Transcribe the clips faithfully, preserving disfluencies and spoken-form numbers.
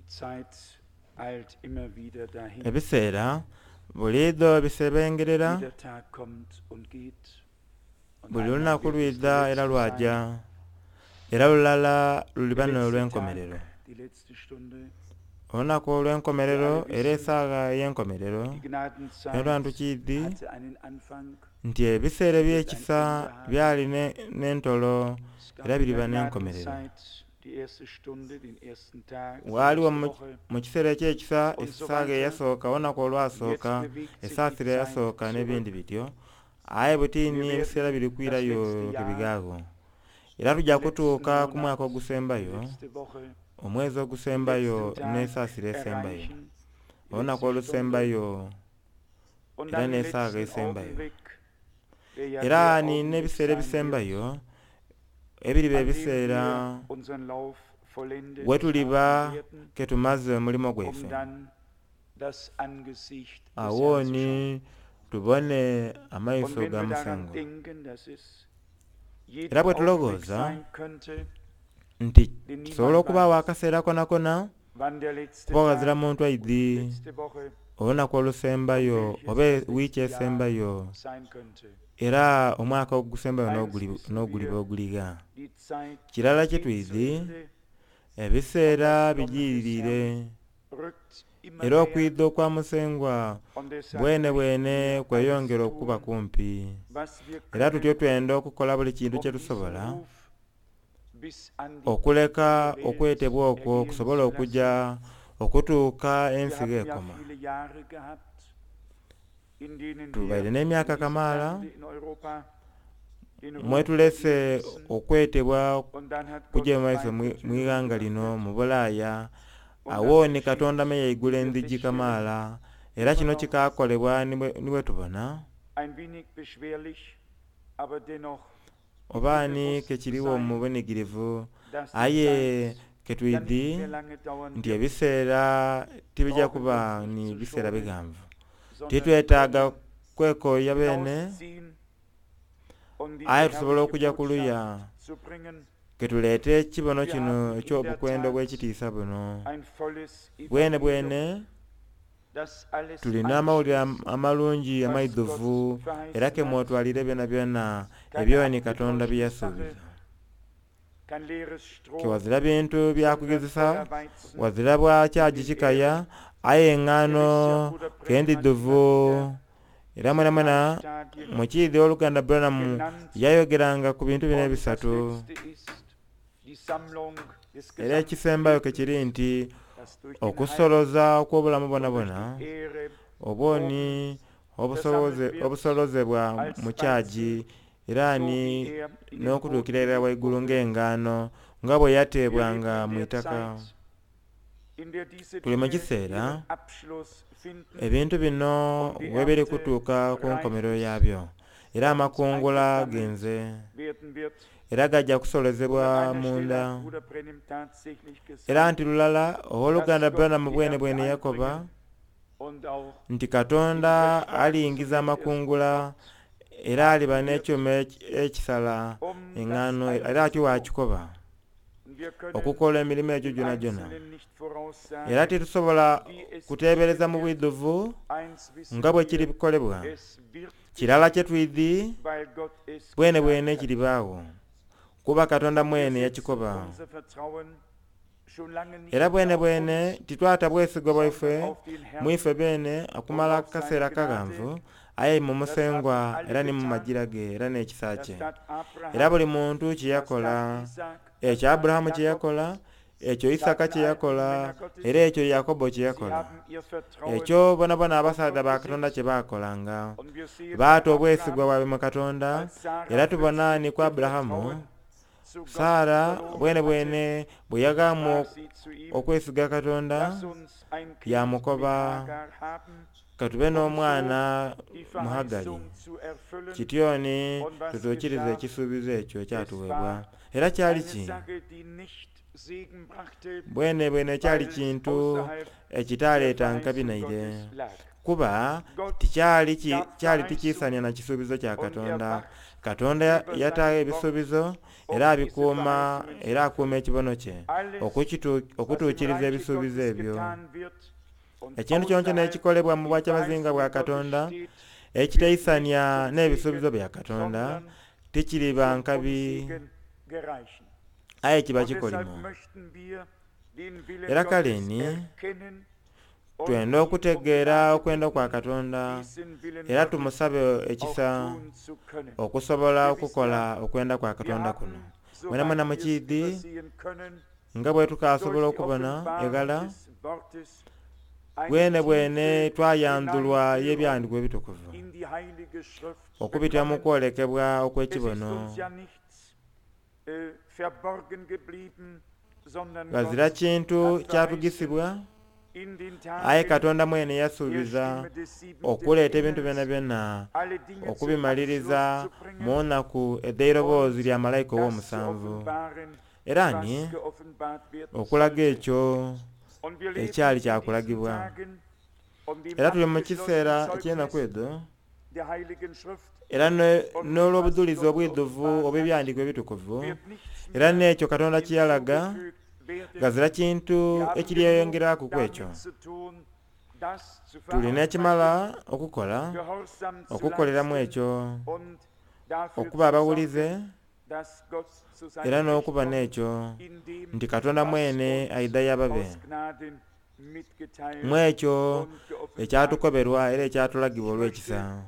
Die Zeit eilt immer wieder dahin. Ebiseera buliidho bisebengerera. Jeder Tag kommt und geht. Und Buli einmal lunaku wird es lwidha der era letzte lwaja, sein. era lulala luliba Der letzte n'olw'enkomerero. Tag, die letzte Stunde, Olunaku olw'enkomerero era esaawa ey'enkomerero. die Gnadenzeit Era ntukiidhi hatte einen Anfang. nti ebiseera eby'ekisa byali ne- n'entolo Es gab era in biriba der n'enkomerero. Gnadenzeit die erste Stunde, den ersten Tag, die Waaliwo erste mu- Woche. mu kiseera eky'ekisa essaaga eyasooka, olunaku olwasooka, Jetzt bewegt sich die esaasira Zeit eyasooka n'ebindi zurück. bityo. Aye butini ebiseera biri kwirayo kebigaagho, era tujja Den letzten kutuuka ku Monat, mwaka die ogusembayo, letzte Woche, omwezi den ogusembayo letzten Tag n'esaasira esembayo, erreichen, die olunaku letzte Stunde olusembayo und era dann den n'esaaga letzten esembayo. Augenblick, der ja Era der nina Augenblick ebiseera sein wird, ebisembayo ebiriba an dem ebiseera wir unseren Lauf vollendet we tuliba haben werden, ketumaze omulimo um gwaife, dann das Angesicht des Herrn zu schauen. awooni tubone Und amaiso wenn ga wir daran Musengwa. denken, dass es jeden Era bwe Augenblick tulowooza sein könnte, nti denn kisobola niemand okubaawo weiß, akaseera konakona, wann der letzte kuba ghazira Tag muntu und die aidhi letzte Woche olunaku olusembayo welches oba das wiiki letzte Jahr esembayo sein könnte. era omwaka ogusembayo Eins n'oguli- wissen n'oguliba wir, oguliga. die Zeit Kirala kye geht zu twidhi, Ende und ebiseera das Kommen des bijiiriire Herrn rückt immer era näher okwidha okwa Musengwa und deshalb bwene möchten bwene wir alles kweyongera okuba tun, kumpi. was wir Era tutyo können, twenda okukola buli kintu um kye diesen tusobola Ruf bis an die okuleka Ende der Welt okwetebwa okwo ergehen kusobole zu okujja lassen. okutuuka Wir ensi haben ja g'ekoma. viele Jahre gehabt, in denen Tubaire wir in n'emyaka diesem kamaala Lande in Europa den mwe Ruf tulese ließen okwetebwa und dann hat Gott kujja mu maiso weite mu Türen ighanga lino geöffnet. mu Bulaaya. Und das Awo ni geschieht, Katonda me yaigula wie wir endhigi feststellen, kamaala era immer kino noch kikaakolebwa ni bwe ni bwe tubona ein wenig beschwerlich, aber dennoch oba mir ni bewusst zu kekiriwo mu sein, bunigirivu, dass die aye Zeit ja nicht ketwidhi mehr lange dauern nti wird. ebiseera tibijja Brauchen kuba uns nicht ni zu biseera schonen, biganvu. sondern Titwetaaga können kwekoya beene, hinausziehen, um diese aye tusobola herrliche okujja kuluya Botschaft zu bringen. ketuleete ekibono Wir kino haben in der eky'obukwenda Tat obw'ekitiisa buno. ein volles Bwene Evangelium, bwene das alles tulina amawulire am- anschließt, amalungi was amaidhuvu Gott era verheißen ke hat. mwotwalire byonabyona Keine ebyoni Katonda bye abgetäuschte Sache, yasuubiza. kein leeres Ke Stroh, wazira bintu sondern byakugezesa, Feuerweizen wazira bwa in kyagi den kikaya, Ähren. aye Ihr wisst ja, eŋŋaano Bruder Branham hat immer kendidhuvu. wieder Era diese mwena drei mwena Stadien mukiidhi oluganda Branham genannt. yayogeranga ku bintu bino Und das ebisatu. letzte ist die Sammlung des Era gesamten ekisembayo ke kiri Lebens, nti das durch den Heil okusoloza okw'obulamu und durch bwonabwona die Ehre obwoni oben obusoboze versammelt wird obusolozebwa als mu kyagi Weizen, era so ni wie er in den n'okutuukira Boden irala gelegt waigulu wurde. ng'engaano nga bwe Wir leben yateebwanga in mu der itaka. Zeit, in der diese Tuli mu Dinge kiseera ihren Abschluss finden ebintu bino und die we biri Ernte kutuuka ku reif nkomerero ist yaabyo era und amakungula eingesammelt genze werden wird. era gajja Und an kusolozebwa einer Stelle munda. hat Bruder Branham tatsächlich Era gesagt, nti lulala dass owooluganda Gott Branham die bwene Ernte bwene yakoba einbringen und auch nti den Katonda Dreschwagen aliyingiza zu dem ersten amakungula Gott era aliba haben wird, n'ekyuma eki- ekisala um das eŋŋaano era alles atyo zu tun. bw'akikoba Und wir können okukola emirimu egyo im gyona gyona. Einzelnen nicht Era voraussagen, titusobola wie es kuteebereza geschehen mu wird. bwidhuvu Eins wissen nga bwe wir, kiri kukolebwa. es wird Kirala geschehen, kye twidhi weil Gott es bwene gesagt bwene hat. kiribaawo kuba Katonda Und wir mwene setzen yakikoba. unser Vertrauen schon lange Era nicht mehr bwene auf bwene uns, titwata bwesigwa sondern bwaife auf den mu Herrn ife beene und okumala auf seine akaseera Gnade. kaganvu aye mu Das haben Musengwa alle era ni mu getan. majira ge era n'ekisa Das kye. tat Era Abraham, buli muntu kye das yakola, tat Isaac, das ekyo tat Aburahamu kye Jakob, yakola, ekyo das Isaka taten kye all die yakola, Männer Gottes. era ekyo Yakobo kye Sie yakola. haben ihr Vertrauen Ekyo bonabona auf abasaadha Gott ba Katonda gesetzt. kye baakolanga. Und wir sehen bei Baata obwesigwa Abraham, bwabwe mu Katonda, als Sarah era tubona plötzlich ni ku ihr Aburahamu, Vertrauen zu Gott Saara verloren bwene hatte, bwene bwe yagamba sprach sie zu ihm, okwesiga Katonda, lass uns ein Kind mit yamukoba Hagar haben, katube um so n'omwana die mu Hagari. Verheißung zu erfüllen. Kityoni Und was tutuukirize geschah? ekisuubizo ekyo Es ekyatuweebwa. war Era kyali eine ki? Sache, die nicht Segen brachte, Bwene bwene kyali weil es kintu außerhalb der ekitaaleeta nkabi Verheißung naire Gottes lag. Kuba Gott tikyali ki- gab kyali tikiisania na kisuubizo kya und er Katonda. wacht Katonda über yataagho sein Wort ebisuubizo um era diese abikuuma Verheißungen zu era akuuma erfüllen. ekibono kye Alles, okukitu- was im okutuukiriza Reiche ebisuubizo Gottes ebyo. getan wird und Ekintu kyonkyona außerhalb ekikolebwa mu die bwakyabazinga bwa Verheißungen Gottes Katonda steht, wird nicht ekitaisania zum n'ebisuubizo Segen, bya Katonda sondern tikiriba zum nkabi Unsegen gereichen. aye kiba Und deshalb kikolimo. möchten wir den Willen Era Gottes kale ni erkennen und twenda ihn um okutegeera Gnade okwenda kwa bitten, Katonda diesen Willen era Gottes tumusabe auch ekisa tun zu können. okusobola Ihr wisst okukola ja, okwenda kwa wir Katonda kuno. haben, Mwena mwena soweit wir es mukiidhi übersehen können, nga bwe tukaasobola durch die okubona Offenbarung eghala des Wortes eine bwene bwene tiefe twayanzulwa Hineinführung y'ebyandiiko ebitukuvu in die Heilige Schrift okubitira mu bekommen. kwolekebwa Es ist okw'ekibono. uns ja nichts äh, verborgen geblieben, sondern Ghazira Gott kintu hat verheißen, kyatugisibwa in den aye Tagen Katonda mwene der yasuubiza Stimme des siebenten okuleeta ebintu Engels byona byonna alle Dinge zum okubimaliriza Abschluss zu bringen mu nnaku edh'eiroboozi lya malayika das zu ow'omusanvu offenbaren, era ni was geoffenbart werden okulaga sollte. ekyo Und wir leben ekyali in diesen kyakulagibwa. Tagen und dem Era tuli mu abgeschlossenen kiseera eky'ennaku Zeugnis edho der Heiligen Schrift era ne- und dem, was n'olw'obujulizi Gott obwidhuvu offenbart hat, obw'ebyandiiko ebitukuvu wird nichts era mehr n'ekyo Katonda kye yalaga hinzugefügt werden. ghazira kintu Wir haben genug ekiryeyongeraku ku ekyo. damit zu tun, das zu Tulina verarbeiten, ekimala okukola Gehorsam zu okukoleramu leisten ekyo und dafür okuba zu abawulize sorgen, dass Gott zu era seinem Recht n'okuba kommt, n'ekyo in dem, nti Katonda was mwene uns aidha y'ababe aus Gnaden mitgeteilt mu ekyo und geoffenbart ekyatukoberwa era ekyatulagibwa Ich olw'ekisa. möchte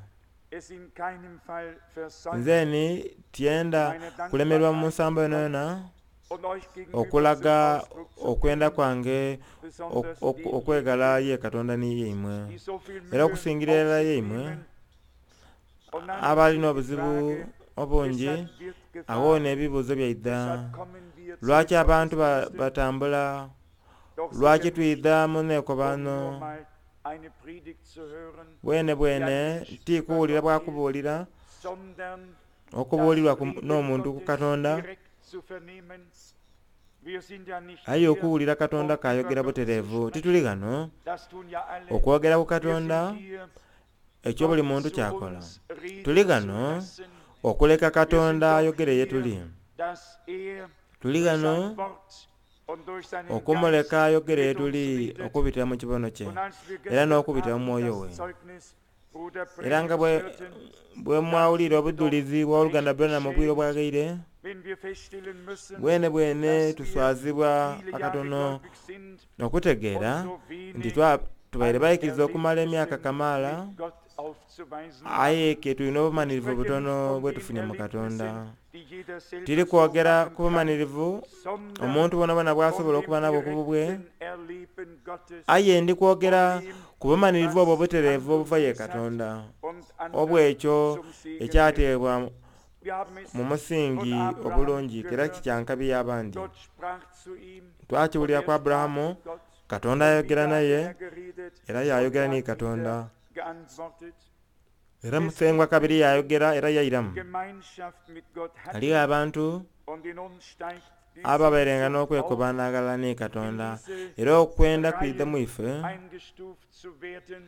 es in keinem Fall versäumen, Nze ni tyenda meine kulemerwa mu Dankbarkeit nsambo Gott yonayona und euch gegenüber zum okulaga Ausdruck zu okwenda bringen, kwange ok- besonders ok- okwegala denjenigen, ye Katonda ni yeimwe die so viel era Mühe okusingira auf irala sich yeimwe nehmen. Und dann abalina ist die obuzibu Frage, obungi weshalb wird awo gefahren, n'ebibuuzo byaidha weshalb kommen wir zu lwaki den abantu ba- Gottesdiensten? batambula Doch lwaki sicher nicht, twidha mu um neekobano nur mal eine Predigt zu hören, bwene die ein bwene Mensch über tikuwulira Gott hält, bwakubuulira sondern das okubuulirwa ku- Reden n'omuntu ku Gottes Katonda direkt zu vernehmen. Wir sind ja nicht aye hier, okuwulira Katonda um über kayogera Gott zu butereevu sprechen. tituli ghano Das tun ja alle. okwogera ku Wir Katonda sind hier, ekyo buli Gott muntu zu kyakola. uns reden Tuli zu ghano lassen. okuleka Wir sind Katonda doch ayogere ye hier, tuli. dass er Tuli durch ghano sein Wort und durch seinen Geist okumuleka ayogere ye mit uns tuli redet. okubitira mu kibono kye Und als wir era gestern n'okubitira mu Abend mwoyo we. das Zeugnis Bruder Era nga Branhams bwe hörten, bwe dann mwawulira sind wir doch obujulizi bw'oluganda recht Branham obwire beschämt, obwaghaire wenn wir feststellen müssen, bwene bwene dass wir tuswazibwa viele Jahre akatono gläubig sind okutegeera und so nti wenig twa tubaire an bayikiriza okumala emyaka Erlebnissen kamaala mit Gott aufzuweisen aye haben. ke tulina Ich obumalirivu spreche nicht butono von bwe den tufunye mu Katonda. Erlebnissen, die jeder selber Tiri so kwogera machen ku kann, bumalirivu sondern omuntu bwonabwona von bw'asobola dem okuba nabwo ku bubwe direkten Erleben Gottes, aye ndi von kwogera dem, ku bumalirivu obwo was obutereevu Hand und obuva ye Fuß hat Katonda und anderen obw'ekyo zum Segen wird. ekyateebwa Wir haben es mu von musingi Abraham obulungi era gehört. kikyankabi y'abandi. Gott sprach zu ihm und Twakiwulira er ku sprach Aburahamu mit Gott. Katonda Und ayogera wieder hat naye er geredet era und yayogera er ni hat wieder Katonda geantwortet. era Es Musengwa gibt kabiri Menschen, yayogera era die yairamu. Gemeinschaft mit Gott Aliwo hatten abantu und in uns steigt die ababeerenga Sehnsucht auf, n'okwekobaanagala ni in Katonda diese era okwenda kwidha mu Reihen ife eingestuft zu werden.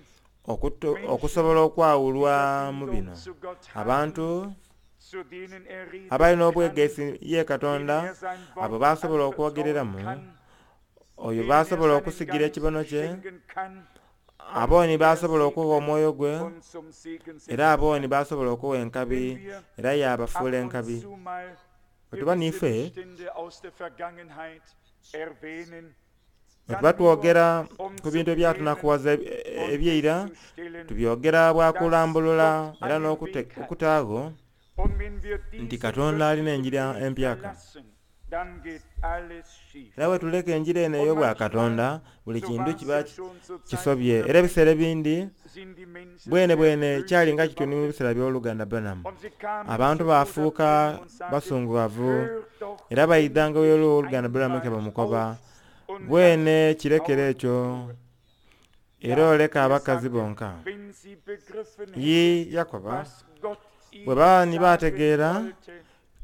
okuto- Menschen, okusobola die okwawulwa mu Verbindung bino. zu Gott haben, Abantu zu denen er reden abalina kann, obwegesi ye denen Katonda er sein abo Wort baasobola anvertrauen okwogereramu kann, oyo denen er baasobola seinen okusigira Geist ekibono kye schenken kann und abooni die er baasobola okuwa segnen omwoyo gwe und zum Segen era setzen abooni kann. baasobola okuwa enkabi Wenn wir era ab yaabafuula und enkabi. zu mal Bwe tuba gewisse n'ife Missstände aus der Vergangenheit erwähnen, bwe dann tuba nur twogera um ku zu bintu klären ebyatunakuwaza und ebyeira festzustellen, tubyogera dass bwakulambulula Gott era einen n'okute- Weg hat. okutaagho Und wenn wir nti diesen Katonda alina göttlichen enjira Weg empyaka. verlassen, dann geht alles schief. Era bwe tuleka enjira eno Und ey'obwa manchmal, Katonda buli so kintu war es kiba ja ki- schon zu Zeiten kisobye. Bruder Era ebiseera Branhams, ebindi sind die Menschen bwene sehr bwene kyali böse nga kityo ni mu geworden. biseera by'oluganda Branham. Und sie kamen Abantu zu Bruder baafuuka Branham und sagten, basunguwavu hör doch era bayidhanga endlich olw'oluganda Branham ke einmal bamukoba auf und bwene lass die kirekere Frauen ekyo in Ruhe. era Ja, oleka er abakazi sagte, bonka. wenn sie begriffen Ye hätten, Yakoba was Gott bwe ihnen baba ni sagen baategeera wollte,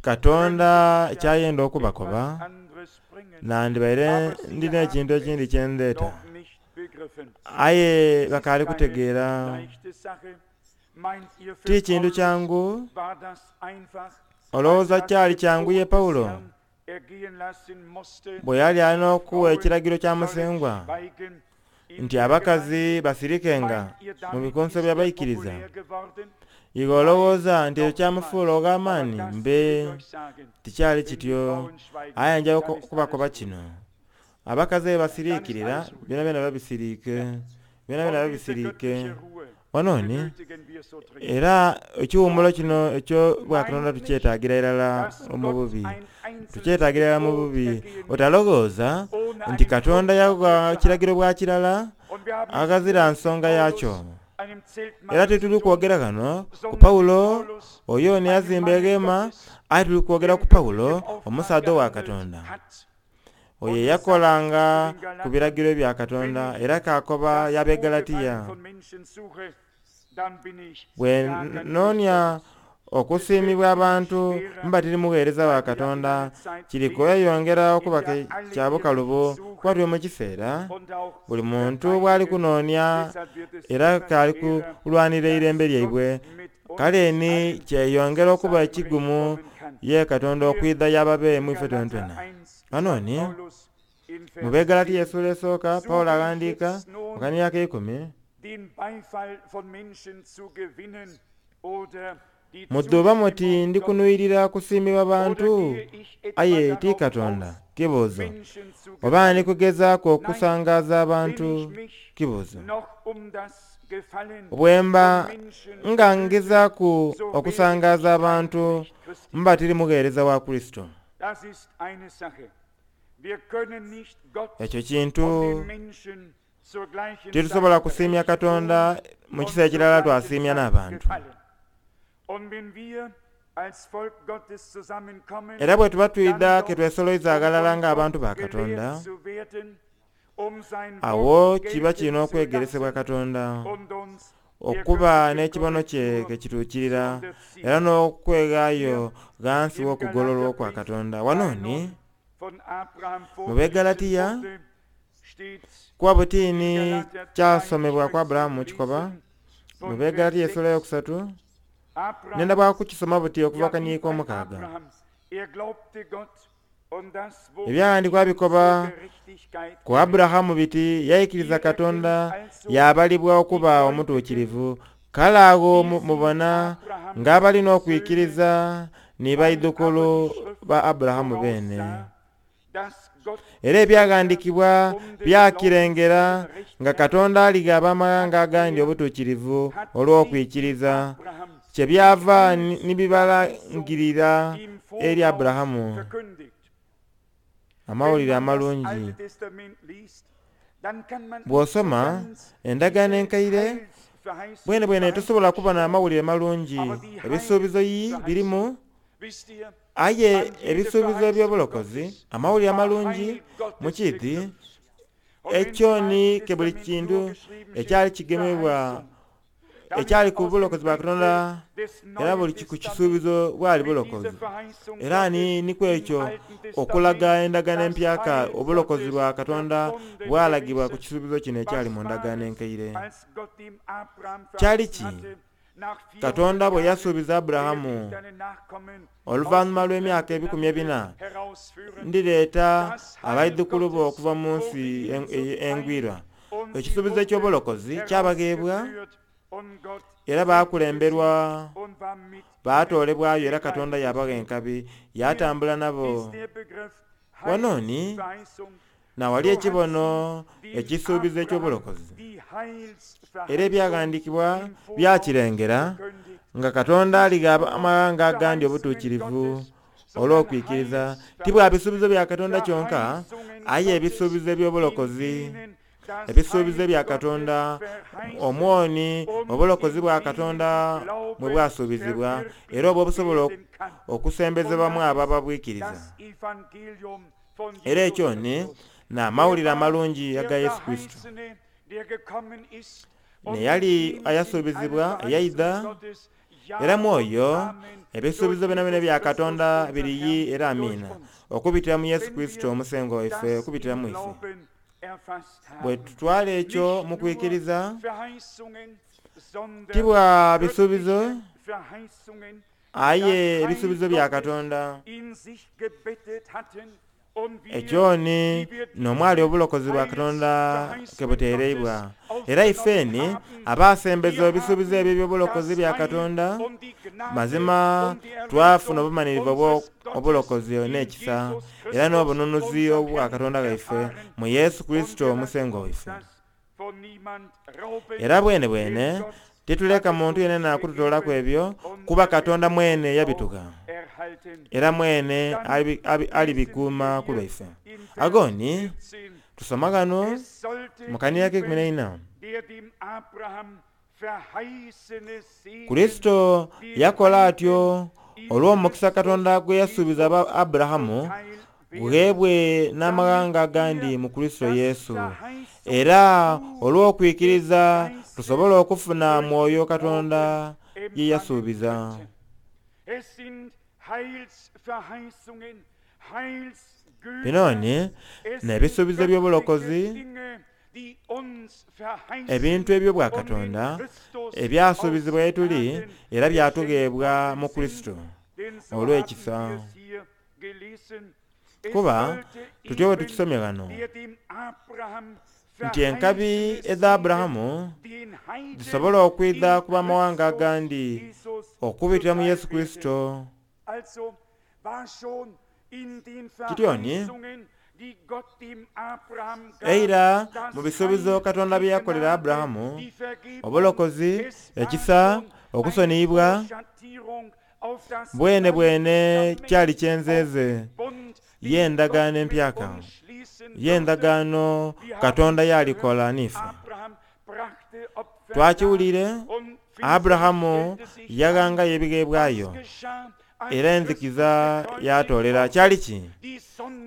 Katonda könnte ich ja kyayenda etwas okubakoba anderes bringen. nandibaire Aber sie ndina ekintu haben ekindi es kye ndeeta noch nicht begriffen. Aye bakaali kutegeera. Ti kintu kyangu. Olowooza kyali kyangu ye Pawulo bwe yali alina okuwa ekiragiro kya Musengwa nti abakazi basirikenga mu bikunso by'abaikiriza. Iwe olowooza nti ekyo kyamufuula ogh'amaani? Mbe tikyali kityo. Aye nja okubakoba kino, abakazi be basiriikirira byona byona babisiriike, byona byona babisiriike. Wano ni era ekiwumulo kino ekyo bwakatonda tukyetaagira irala mu bubi, tukyetaagira irala mu bubi. Otalowooza nti Katonda yawa kiragiro bwa kirala aghazira nsonga yakyo. Era tituli kwogera ghano ku Pawulo oyo neyazimba eghema, aye tuli kwogera ku Pawulo omusaadha owa Katonda oyo eyakolanga ku biragiro bya Katonda era kakoba y'Abegalatiya, bwe noonia okusiimibwa abantu mba tiri mugheereza wa Katonda, kiri kweyongera okuba kya bukalubo kuba tuli mu kiseera buli muntu bw'ali kunoonia era k'ali kulwanira eirembe lyaibwe. Kale ni kyeyongera okuba ekigumu ye Katonda okwidha y'ababe mu ife twenatwena. Wano ni mu Begalatiya essuula esooka Pawulo aghandiika mu kaniya ak'eikumi, mudhuuba muti ndi kunuyirira kusiimibwa bantu aye ti Katonda? Kibuuzo. Oba ndi kugezaaku okusangaaza abantu? Kibuuzo. Bwemba nga ngezaaku okusangaaza abantu mba tiri mugheereza wa Kurisito. Ekyo kintu titusobola kusiimya Katonda mu kiseera kirala twasiimya n'abantu. Era bwe tuba twidha ke twesoloiza aghalala ng'abantu ba Katonda, awo kiba kirina okwegeresebwa Katonda okuba n'ekibono kye ke kituukirira era n'okweghaayo ghansi w'okugololwa okwa Katonda. Wano ni mu Begalatiya kuba butiini kyasomebwa kwa Aburahamu kikoba mu Begalatiya essuula eyokusatu, nenda bwa kukisoma buti okuva kaniiko omukaaga. Ebyawandiikibwa bikoba ku Aburahamu biti yaikiriza Katonda yabalibwa okuba omutuukirivu. Kale agho mubona ng'abalina okwikiriza ni baidhukulu ba Aburahamu beene. Era ebyaghandiikibwa byakirengera nga Katonda aligha ab'amaghanga agandi obutuukirivu olw'okwikiriza, kyebyava ni bibalangirira eri Aburahamu amawulire amalungi. Bw'osoma endagaano enkaire bwene bwene tosobola kuba n'amawulire malungi. Ebisuubizo yi birimu, aye ebisuubizo eby'obulokozi, amawulire amalungi mu kiiti ekyo ni ke buli kintu ekyali kigemebwa ekyali ku bulokozi bwa Katonda, era buli ku kisuubizo bwali bulokozi. Era ni nikwo ekyo okulaga endagaano empyaka obulokozi bwa Katonda bwalagibwa ku kisuubizo kino ekyali mu ndagaano enkaire. Kyali ki Katonda bwe yasuubiza Aburahamu oluvannyuma lw'emyaka ebikumi ebina, ndireeta abaidhukulu bo okuva mu nsi engwirwa. Ekisuubizo eky'obulokozi kyabagheebwa era baakulemberwa baatoolebwayo era Katonda yabagha enkabi yatambula nabo. Wano ni nawali ekibono ekisuubizo eky'obulokozi. Era ebyaghandiikibwa byakirengera nga Katonda aligha amawanga agandi obutuukirivu olw'okwikiriza, ti bwa bisuubizo bya Katonda kyonka, aye ebisuubizo eby'obulokozi, ebisuubizo bya Katonda omwoni obulokozi bwa Katonda mwe bwasuubizibwa era obwo obusobola okusembezebwamu abo ababwikiriza. Era ekyo ni n'amawulire amalungi aga Yesu Kristo. Neyali ayasuubizibwa eyaidha, era mwoyo ebisuubizo byona bya Katonda biriyi era amiina okubitira mu Yesu Kristo omusengo waife okubitira mu ife. Bwe tutwala ekyo mu kwikiriza, ti bwa bisuubizo, aye ebisuubizo bya Katonda. Ekyoni n'omwali obulokozi bwa Katonda ke buteereibwa. Era ifeni abasembeza ebisuubizo ebyo eby'obulokozi bya Katonda, mazima twafuna obumalirivu obulokozi n'ekisa era n'obununuzi obwa Katonda gaife mu Yesu Kristo omusengwa waife. Era bwene bwene tituleka muntu yenena kututolaku ebyo, kuba Katonda mwene yabituka era mwene alibikuuma ku lwaife. Agoni tusoma gano mu kanira k'eikumi n'eina. Kurisito yakola atyo olw'omukisa Katonda gwe yasuubiza Aburahamu gughebwe n'amaghanga agandi mu Kurisito Yesu. Era olw'okwikiriza tusobola okufuna mwoyo Katonda ye yasuubiza. Binoni n'ebisuubizo by'obulokozi, ebintu ebyo bwa Katonda ebyasuubizibwa etuli era byatugheebwa mu Kurisito olw'ekisa. Kuba tutyo bwe tukisomye ghano nti enkabi edha Aburahamu zisobola okwidha kuba amawanga agandi okubitira mu Yesu Kurisito. Kityoni eira mu bisuubizo Katonda bye yakolera Aburahamu, obulokozi, ekisa, okusoniyibwa, bwene bwene kyali kyenzeze y'endagaano empyaka, y'endagaano Katonda yalikola n'ife. Twakiwulire Aburahamu yaghangayo ebigheebwayo era enzikiza yatoolera. Kyali ki?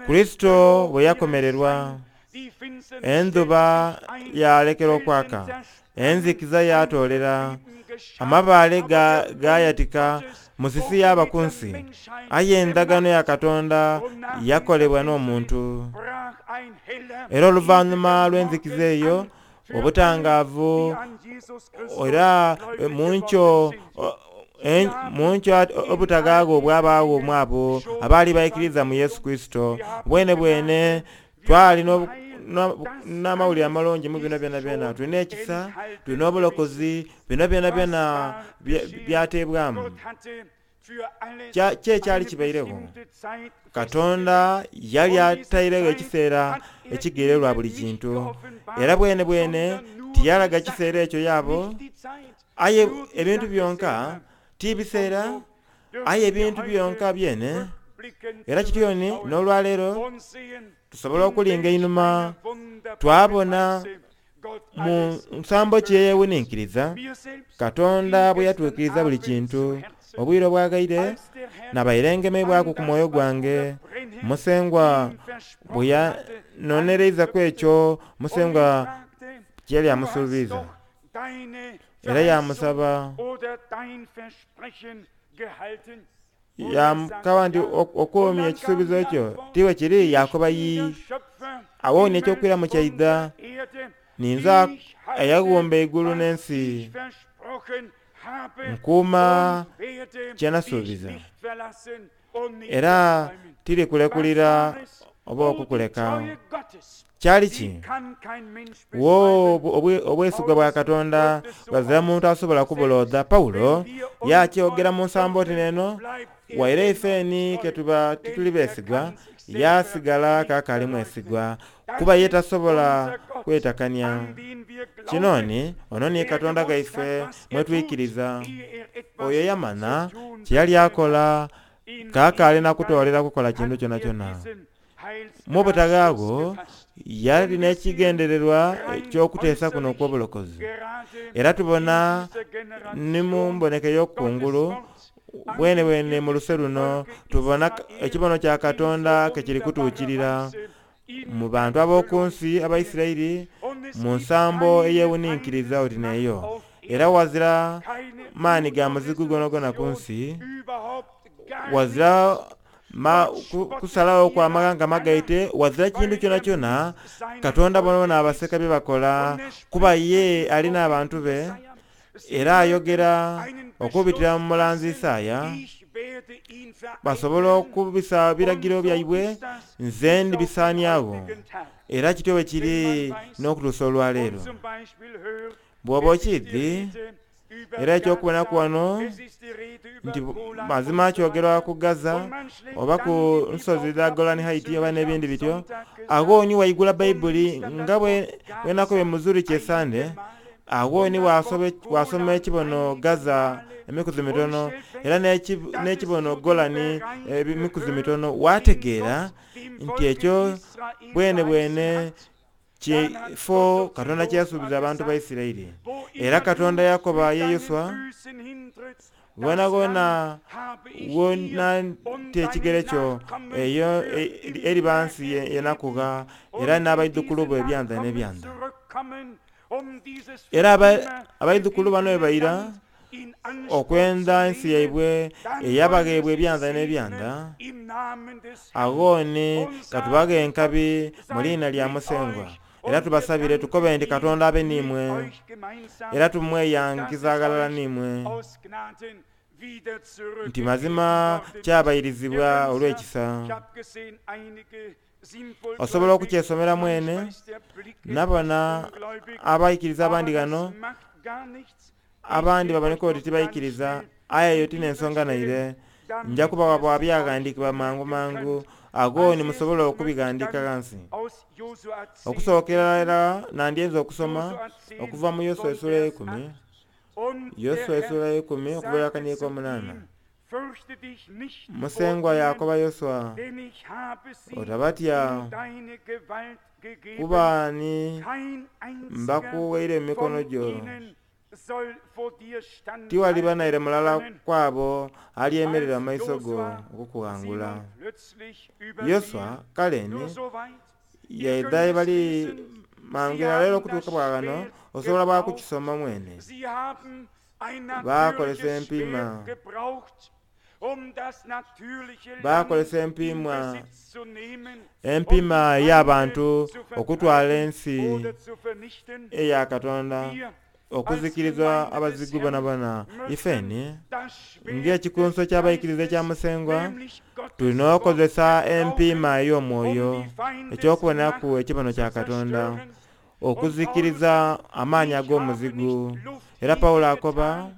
Kurisito bwe yakomererwa, endhuba yalekera okwaka, enzikiza yatoolera, amabaale gayatika, musisi yaba ku nsi. Aye endagaano ya Katonda yakolebwa n'omuntu. Era oluvannyuma lw'enzikiza eyo, obutangaavu era munkyo munkyo obutagaago obwabaawo mwabo abaali baikiriza mu Yesu Kurisito. Bwene bwene twali n'amawulire amalungi mu bino byona byona. Tulina ekisa, tulina obulokozi, bino byona byona byateebwamu. Ki ekyali kibairegho? Katonda yali atairegho ekiseera ekigererwa buli kintu, era bwene bwene tiyalaga kiseera ekyo yaabo, aye ebintu byonka ti biseera, aye ebintu byonka byene. Era kityoni n'olwaleero tusobola okulinga einhuma twabona mu nsambo ki eyewuninkiriza Katonda bwe yatuukiriza buli kintu. Obwire obwagaire nabaire ngemebwaku ku mwoyo gwange, Musengwa bwe yanonereizaku ekyo Musengwa kye yali amusuubiza, era yamusaba yamukaba nti okuumya ekisuubizo ekyo tiwe kiri, yakoba yi awooni ekyokwiramu kyaidha, ninza eyaghumba eigulu n'ensi nkuuma kye nasuubiza, era tirikulekulira oba okukuleka. Kyali ki? Wo obwesigwa bwa Katonda ghazira muntu asobola kubulodha. Pawulo yakyogera mu nsambo oti neno, waire ifeni ketuba tituli beesigwa, yasigala kaakaali mwesigwa, kuba ye tasobola kwetakania. Kinoni ono ni Katonda gaife mwetwikiriza, oyo yamana kye yali akola kaakaali nakutoolera kukola kintu kyonakyona. Mu butaghaagho yali n'ekigendererwa eky'okuteesa kuno okw'obulokozi. Era tubona ni mu mboneka ey'okungulu bwene bwene mu luse luno tubona ekibono kya Katonda ke kiri kutuukirira mu bantu ab'oku nsi Abaisirairi mu nsambo eyewuninkiriza oti n'eyo. Era wazira maani ga muzigu gonagona ku nsi, wazira ma kusalawo kwa maghanga magaite wazira kintu kyona kyona Katonda bonabona abaseka bye bakola kuba ye alina abantu be era ayogera okubitira mu mulanzi Isaaya basobola okubisa biragiro byaibwe nze ndibisaaniawo era kityo bwe kiri n'okutuusa olwaleero. Bw'oba okiidhi era ekyokubonaku wano nti mazima kyogerwa ku Gaza oba ku nsozi dha Golan Heights oba n'ebindi bityo, agho ni waigula Bayibuli nga bwe bwenakobye mu Zurich esande, agho ni wasoma ekibono Gaza emikuzi mitono era n'ekibono Golani emikuzi mitono, wategeera nti ekyo bwene bwene kifo Katonda kyeyasuubiza abantu ba Isiraeli. Era Katonda yakoba ye Yoswa, gonagona wona nti ekigere kyo eyo eriba nsi yenakugha era n'abaidhukulu bo ebyanza n'ebyanza. Era abaidhukulu bano bwe baira okwenda ensi yaibwe eyabagheebwa ebyanza n'ebyanza, agho ni katubaghe enkabi mu liina lya Musengwa era tubasabire tukobe nti Katonda abe n'imwe era tumweyankiza aghalala n'imwe nti mazima kyabayirizibwa olw'ekisa. Osobola okukyesomera mwene, nabona abaikiriza abandi ghano abandi baboneka oti tibaikiriza, aye eyo tin'ensonga naire. Nja kubawa bwa byaghandiikibwa mangu mangu agho ni musobola okubighandiika ghansi. Okusookera irala nandyenze okusoma okuva mu Yoswa essuula eikumi, Yoswa essuula eikumi okuva akaniiko omunaana. Musengwa yakoba Yoswa, otabatya kuba ni mbakuwaire mu mikono gyo, tiwaliba naire mulala kwabo alyemerera mu maiso go okukughangula. Yoswa kale ni yaidha bali mangu era okutuuka bwa ghano osobola bwa kukisoma mwene. Bakolesa empiima, bakolesa empiima empiima ey'abantu okutwala ensi eya Katonda okuzikiriza abazigu bonabona. Ifeni ng'ekikunso ky'abaikiriza ekya Musengwa tulina okukozesa empiima ey'omwoyo ekyokubonaku ekibono kya Katonda okuzikiriza amaanyi ag'omuzigu. Era Pawulo akoba,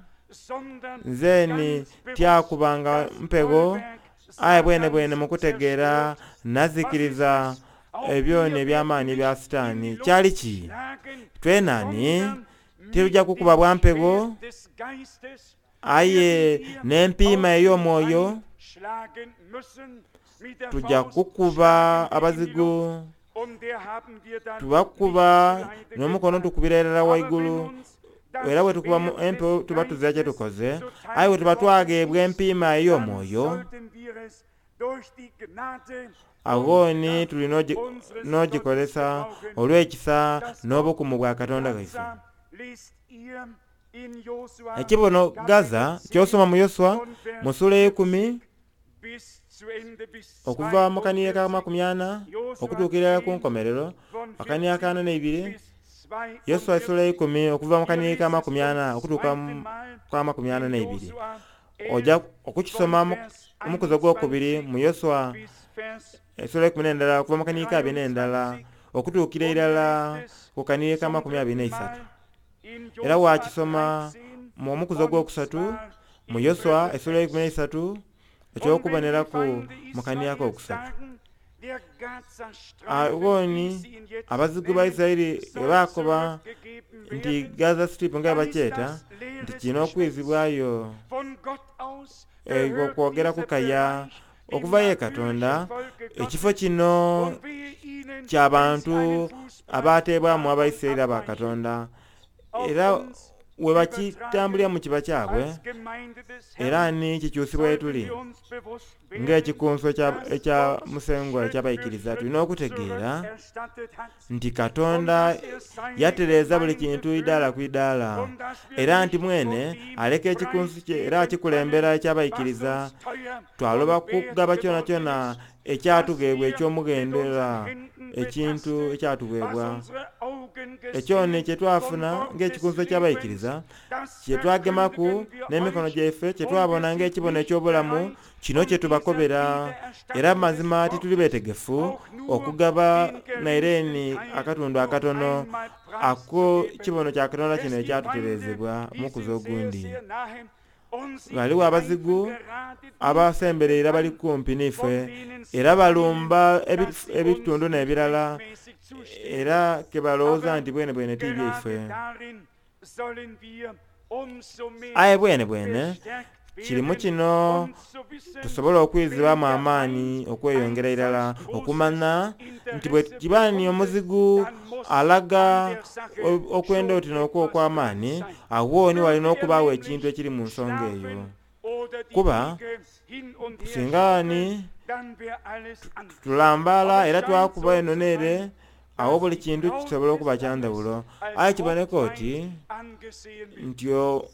nze tyakubanga mpegho aye bwene bwene mukutegeera nazikiriza ebyoni eby'amaanyi ebya Sitaani. Kyali ki? Twenani titujja kukuba bwa mpegho aye n'empiima ey'omwoyo tujja kukuba abazigu, tubakuba n'omukono tukubira irala waigulu, era bwe tukuba empewo tuba tuzira kye tukoze, aye bwe tuba twagheebwa empiima ey'omwoyo agho ni tuli n'ogikozesa olw'ekisa n'obukumu bwa Katonda waife. Ekibono Gaza ky'osoma mu Yoswa mu ssuula eikumi okuva mu kaniye ka makumi ana okutuukira ku nkomerero akaniye ka ana n'eibiri. Yoswa essuula eikumi okuva mu kaniye ka makumi ana okutuuka ka makumi ana n'eibiri. Ojja okukisoma omukuzi ogwokubiri mu Yoswa essuula eikumi n'endala okuva mu kaniye ka abiri n'endala okutuukira irala ku kaniye ka makumi abiri n'eisatu. Era wakisoma mu omukuzi ogwokusatu mu Yoswa essuula eikumi n'eisatu ekyokuboneraku mu kaniye akokusatu. Agho ni abazigu ba Isiraeli bwe bakoba nti Gaza Strip nga bwe bakyeta nti kino okwizibwayo okwogera kukaya okuva ye Katonda, ekifo kino ky'abantu abateebwamu Abaisiraeli aba Katonda. Era we bakitambuliramu kiba kyabwe Als Gemeinde des era Herrn ni kikyusibwa sollten etuli wir uns bewusst werden, ng'ekikunso ekya- dass ekya Gott musengwa Schritt für ekyabayikiriza Schritt tulina okutegeera zurückerstattet hat nti und Katonda dass er seine yatereeza buli Gemeinde kintu idaala führt ku idaala und dass wir era nti nicht mwene von dem aleka ekikunsu kye era preisgeben akikulembera alles, was ekyabayikiriza uns teuer twaloba und wert kugaba kyona geworden kyona ist, was ekyatugeebwa wir mit eky'omughendo era unseren Händen ekintu betastet, was ekyatuweebwa unsere Augen ekyo ni gesehen kye vom twafuna Wort des ng'ekikunsu Lebens, ekyabayikiriza das kye twagemaku verkündigen wir n'emikono euch gyaife kye und twabona wir sind ng'ekibono nicht eky'obulamu bereit, kino von kye dieser tubakobera era Wiedererstattung des mazima tituli Wortes beetegefu auch nur okugaba den naire geringsten ni Teil akatundu noch akatono einmal ako preiszugeben. kibono kya Katonda Es kino gibt Feinde, ekyatutereezebwa die mukuza sind sehr, ogundi sehr nahe und sie Ghaligho abazigu greifen gerade die abasemberera bali an, kumpi von n'ife denen sie era meinen, balumba ebi- dass sie uns ebitundu nicht n'ebirala rechtmäßig zustehen. era ke balowooza Aber nti bwene bwene ti byaife gerade darin sollen wir umso mehr aye bwene bwene verstärkt kirimu werden, kino um zu wissen, tusobole okwizibwamu wenn der amaanyi Feind okweyongera ein irala solch großes okumanya nti bwe Interesse kiba ni bekundet, omuzigu dann muss alaga an der Sache o- okwenda schon oti n'okwo etwas dran okw'amaanyi sein. awo ni walina Möge er okubaawo ekintu nämlich ekiri mu nsonga eyo schlafen oder die kuba Wiege hin und her singa ni schaukeln, dann wäre alles anders. tulambaala Aber es era scheint twakuba so eno zu n'ere sein, awo dass buli die kintu Braut kisobola des okuba kya Lammes ndawulo als aye kiboneka oti Hauptfeind angesehen wird. nti o-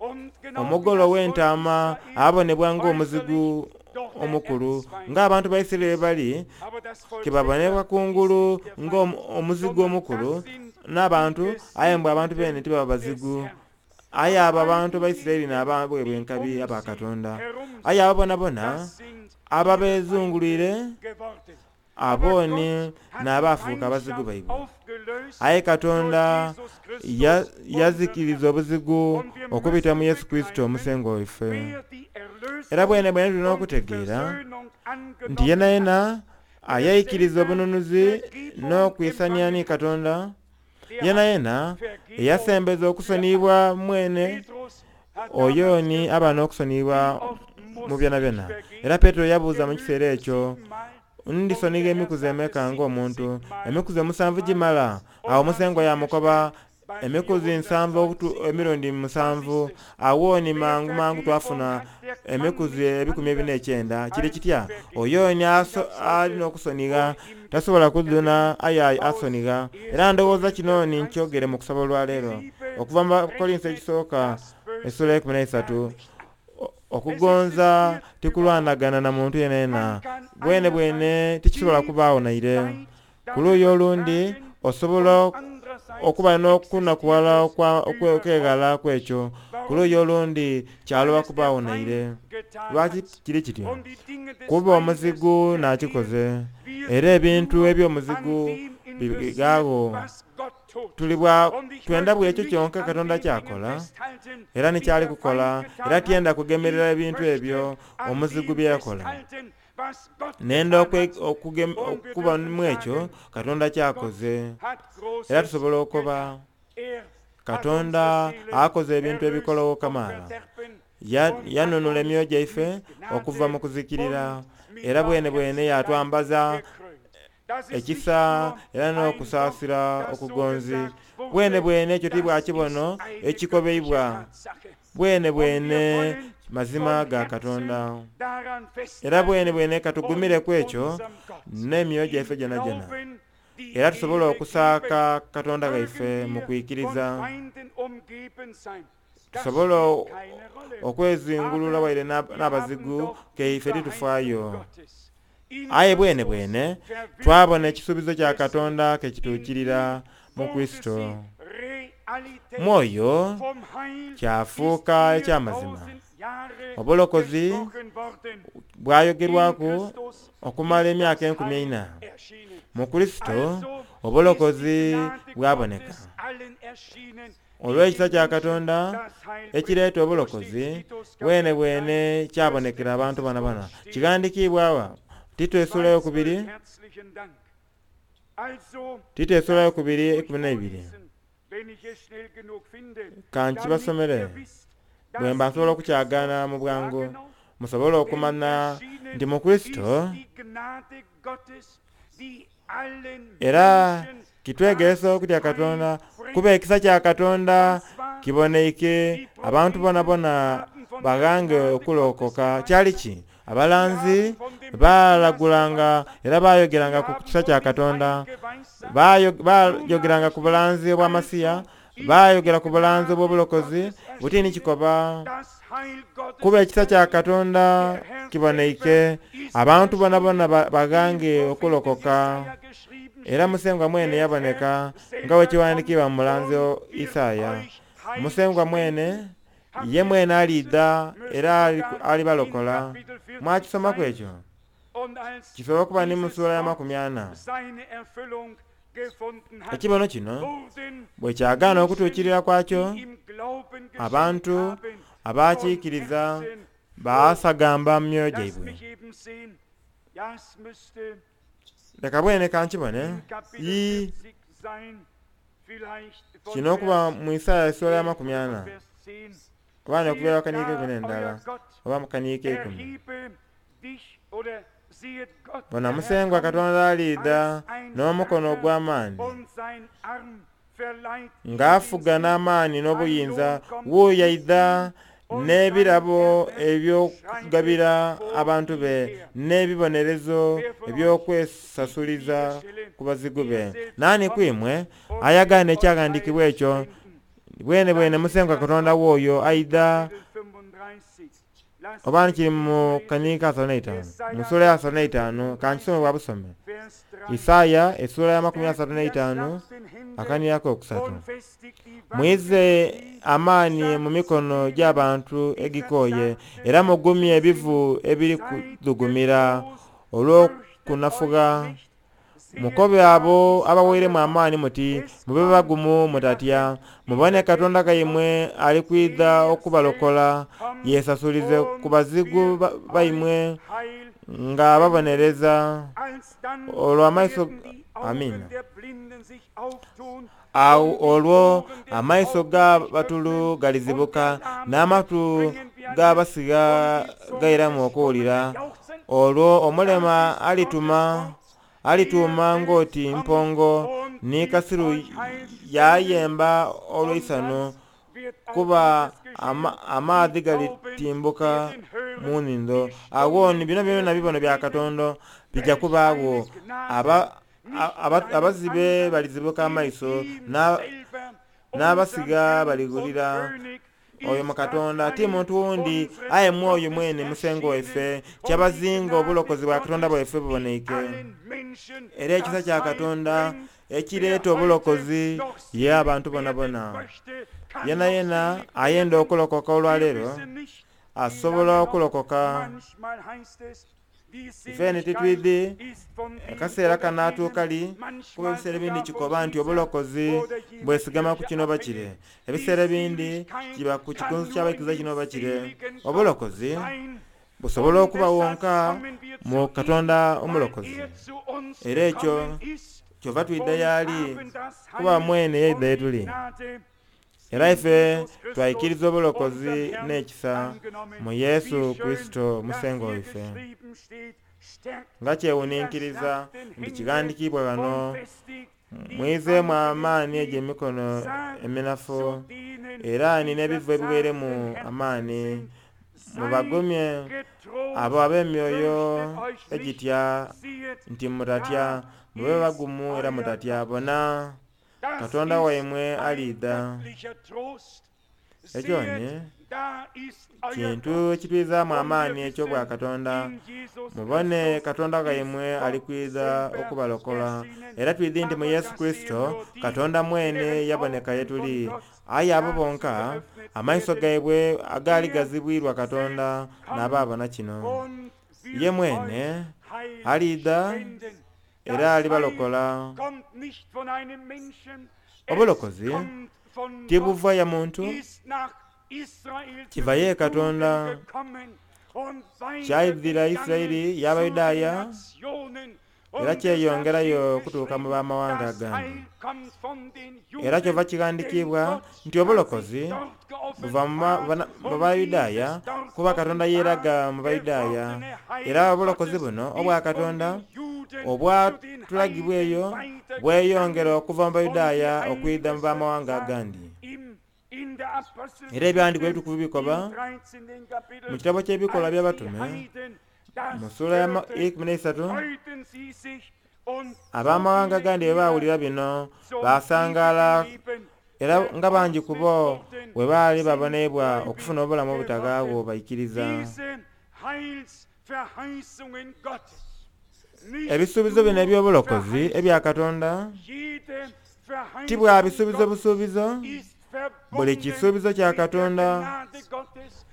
Und genau wie omugole das Volk ow'entaama Israel abonebwa ng'omuzigu äußerlich doch der omukulu Erzfeind ng'abantu ba Isirayiri bali Aber das Volk ke babonebwa selber ist kungulu nicht der Feind, ng'omuzigu sondern omukulu das sind die n'abantu aye mbwe abantu bene Gesignten tibaba des bazigu Herrn. aye Und abo all abantu ba Isirayiri diejenigen, n'ababwebwa die enkabi um aba sie Katonda herum aye sind, abo bonabona das sind ihre ababeezungulwire Feinde geworden. abo Aber ni Gott hat die n'abaafuuka abazigu Feindschaft baibwe aufgelöst aye durch Katonda Jesus ya- Christus, unseren yazikiriza Herrn. obuzigu Und wir okubita mu müssen Yesu Kristo begreifen, omusengo waife wer die era Erlösung bwene bwene tulina und die okutegeera Versöhnung nti yena angenommen hat, yena wer ayayikiriza selber obununuzi Vergebung n'okwisania empfangen ni hat, Katonda der yena hat yena Vergebung eyasembeza für alle. okusoniyibwa mwene Petrus hat oyo damals ni gefragt, aba n'okusoniyibwa wie oft mu muss byona ich byona era vergeben? Peetero yabuuza mu kiseera Genügt ekyo siebenmal? ndisonigha Und der Herr emikuzi sagte emeka ng'omuntu siebzigmal emikuzi omusanvu mal gimala awo und hat musengwa sie yamukoba gestärkt bei emikuzi nsanvu okutu emirundi vierhundertzwanzig Mal. Was musanvu ist es? awo ni Wer mangu mangu Vergebung twafuna hat, der kann emikuzi nicht ebikumi ebina anders ekyenda kiri als kitya vergeben. oyo ni Und aso- das alina sollte okusonigha vor ihm tasobola kuduna aye aus asonigha era ndowooza kino ni erster Korinther nkyogere mu kusaba olwaleero dreizehn. Die okuva mu Liebe Bakolinso rechnet ekisooka das Böse essula ekumi gar n'eisatu nicht an. O- Es existiert okugonza überhaupt. tikulwanagana na muntu yena yena Man kann bwene bwene einerseits tikisobola tief kubaawo naire Leid ku luuyi darüber olundi tragen osobola und andererseits okuba existiert n'okunakuwala es okwa- okwe- überhaupt okwegala kwekyo nicht. ku luuyi Warum? olundi kyaloba Weil es der kubaawo naire Feind getan lwaki hat kiri kityo und die Dinge des kuba Feindes omuzigu vergehen. n'akikoze Wir era sind ebintu nur an eby'omuzigu dem bigaawo interessiert, was Gott tut. tuli bwa Und ich twenda möchte buli ekyo nicht kyonka an Katonda den Dingen ky'akola festhalten, era die nikyali der kukola Feind getan era hat. tyenda kugemerera Ich ebintu möchte ebyo an omuzigu dem bye yakola festhalten, was Gott nenda getan okwe- hat. okugem- Und wir okuba dürfen mu ekyo sagen, Katonda Gott ky'akoze hat era Großes tusobola okuba getan. Er hat unsere Katonda Seelen akoze ebintu erlöst ebikolawo vom kamaala Verderben Ya- und hat yanunula uns emyoyo gyaife mit okuva mu Gnade kuzikirira und mit era bwene bwene Barmherzigkeit yatwambaza gekrönt. Das ist nicht ekisa nur era ein Wort, n'okusaasira das so okugonzi gesagt bwene wurde, bwene ekyo das tibwa ist kibono eine göttliche ekikobeibwa Tatsache. bwene Und wir bwene wollen mazima von ga Herzen Katonda daran era bwene festhalten bwene katugumire und ku ekyo unserem Gott n'emyoyo gyaife im gyona gyona Glauben die era tusobole Ehre geben. okusaaka Katonda gaife Mögen mu wir von kwikiriza Feinden umgeben sein. Das tusobole spielt keine Rolle. okwezingulula Aber waire n'ab- wir haben n'abazigu doch die keife Verheißung titufaayo Gottes. In aye bwene Christus bwene twabona verwirklicht ekisuubizo kya es Katonda ke sich. In kituukirira ihm mu wurde Kristo sie Realität. mwoyo Vom Heil ist kyafuuka eky'amazima viertausend Jahre obulokozi gesprochen worden. In bwayogerwaku Christus okumala ist emyaka das enkumi Heil eina erschienen. mu Kristo Also ist die obulokozi Gnade bwaboneka Gottes allen erschienen, die olw'ekisa den kya Menschen Katonda das Heil bringt. ekireeta So steht obulokozi Titus bwene Kapitel drei, bwene Vers kyabonekera abantu sechs. bana Dort bana steht, kighandikiibwa awa Tito essula zwei eyokubiri zwölf, herzlichen Dank. Also, Tito essula lasst eyokubiri mich euch ekumi n'ebiri vorlesen, wenn ich es schnell genug finde, damit kankibasomere ihr wisst, bwe mba dass nsobola in okukyagaana Christus, mu ja bwangu genau, musobole denn okumanya nti erschienen mu Kristo ist die Gnade Gottes, die allen era Menschen kitwegeresa das okutya Heil Katonda bringt. kuba ekisa kya Katonda Und zwar Kiboneike abantu bonabona baghange okulokoka. Kyali ki? Abalanzi baalagulanga era baayogeranga ku kisa kya Katonda, baayogeranga ku bulanzi obwa Masiya, baayogera ku bulanzi obw'obulokozi butini kikoba kuba ekisa kya Katonda kiboneike abantu bonabona baghange okulokoka. Era Musengwa mwene yaboneka nga bwe kiwandiikibwa mu mulanzi Isaaya. Musengwa mwene ye mwene aliidha era alibalokola. Mwakisomaku ekyo? Kisobola okuba ni mu ssuula ya makumi ana. Ekibono kino bwe kyagaana okutuukirira kwakyo, abantu abakiikiriza baasagamba mu myoyo gyaibwe. Leka bwene kankibone. Ii kino okuba mu Isaaya essuula ya makumi ana oba n'okubeera kaniiko ikumi n'endala oba mu kaniiko ikumi. Bona Musengwa Katonda aliidha n'omukono ogw'amaani ng'afuga n'amaani n'obuyinza. Wuuyo aidha n'ebirabo eby'okugabira abantu be n'ebibonerezo eby'okwesasuliza ku bazigu be. Naani kwimwe ayagaana ekyaghandiikibwa ekyo? Bwene bwene Musengwa Katonda w'oyo aidha oba kiri mu kaniiko asatu n'eitaanu mu ssuula ya asatu n'eitaanu kankisome bwa busome. Isaaya essuula ya makumi asatu n'eitaanu akaniiko akokusatu. Mwize amaani mu mikono gy'abantu egikooye era mugumye ebivu ebiri kudhugumira olw'okunafugha. Mukobe abo abaweeremu amaani muti mube bagumu mutatya. Mubone Katonda kaimwe ali kwidha okubalokola, yeesasulize ku bazigu baimwe nga babonereza. Olwo amaiso amina. Awo olwo amaiso g'abatulu galizibuka n'amatu g'abasigha gairamu okuwulira. Olwo omulema alituma alituuma ng'oti mpongo, ni kasiru yaayemba olw'eisanhu, kuba ama, amaadhi galitimbuka mu nnhindo. Awo ni bino byona bibono bya Katonda bijja kubaagho. Aba, aba, abazibe balizibuka amaiso, n'abasigha baliwulira. Oyo mu Katonda ti muntu wundi, aye mwoyo mwene Musengwa waife kyabazinga obulokozi bwa Katonda bwaife buboneike. Era ekisa kya Katonda ekireeta obulokozi ye abantu bonabona. Yena yena ayenda okulokoka olwaleero asobola okulokoka. Ife titwidhi akaseera kanaatuuka li, kuba ebiseera ebindi kikoba nti obulokozi bwesigama ku kino oba kire. Ebiseera ebindi kiba ku kikunsu ky'abaikiriza kino oba kire. Obulokozi busobola okuba wonka mu Katonda omulokozi. Era ekyo kyova twidha y'ali, kuba mwene yaidha ye tuli. Era ife twaikiriza obulokozi n'ekisa mu Yesu Kurisito Musengwa waife. Nga kyewuninkiriza nti kighandiikibwa ghano, mwizeemu amaani egy'emikono eminafu era ni n'ebivu ebiweeremu amaani. Mubagumye abo ab'emyoyo egitya nti mutatya, mube bagumu era mutatya. Bona Katonda waimwe aliidha. Ekyo ni kintu ekitwizaamu amaani eky'obwa Katonda. Mubone Katonda waimwe ali kwidha okubalokola. Era twidhi nti mu Yesu Kurisito Katonda mwene yaboneka ye tuli. Aye abo bonka amaiso gaibwe agaali gazibwirwa Katonda n'abaabona kino. Ye mwene aliidha era alibalokola. Obulokozi tibuva ya muntu, kiva ye Katonda. Kyaidhira Isiraeli y'Abayudaaya era kyeyongerayo okutuuka mu b'amawanga agandi. Era kyova kighandiikibwa nti obulokozi buva mu Bayudaaya, kuba Katonda yeeraga mu Bayudaaya. Era obulokozi buno obwa Katonda obwatulagibwa eyo bweyongera okuva mu Bayudaaya okwidha mu b'amawanga agandi. Era ebyandiiko ebitukuvu bikoba mu kitabo ky'ebikolwa by'abatume mu ssuula ya ikumi n'eisatu, ab'amawanga agandi bwe baawulira bino basangaala, era nga bangi ku bo bwe baali babonebwa okufuna obulamu obutagaagho baikiriza. Ebisuubizo bino eby'obulokozi ebya Katonda ti bwa bisuubizo busuubizo, buli kisuubizo kya Katonda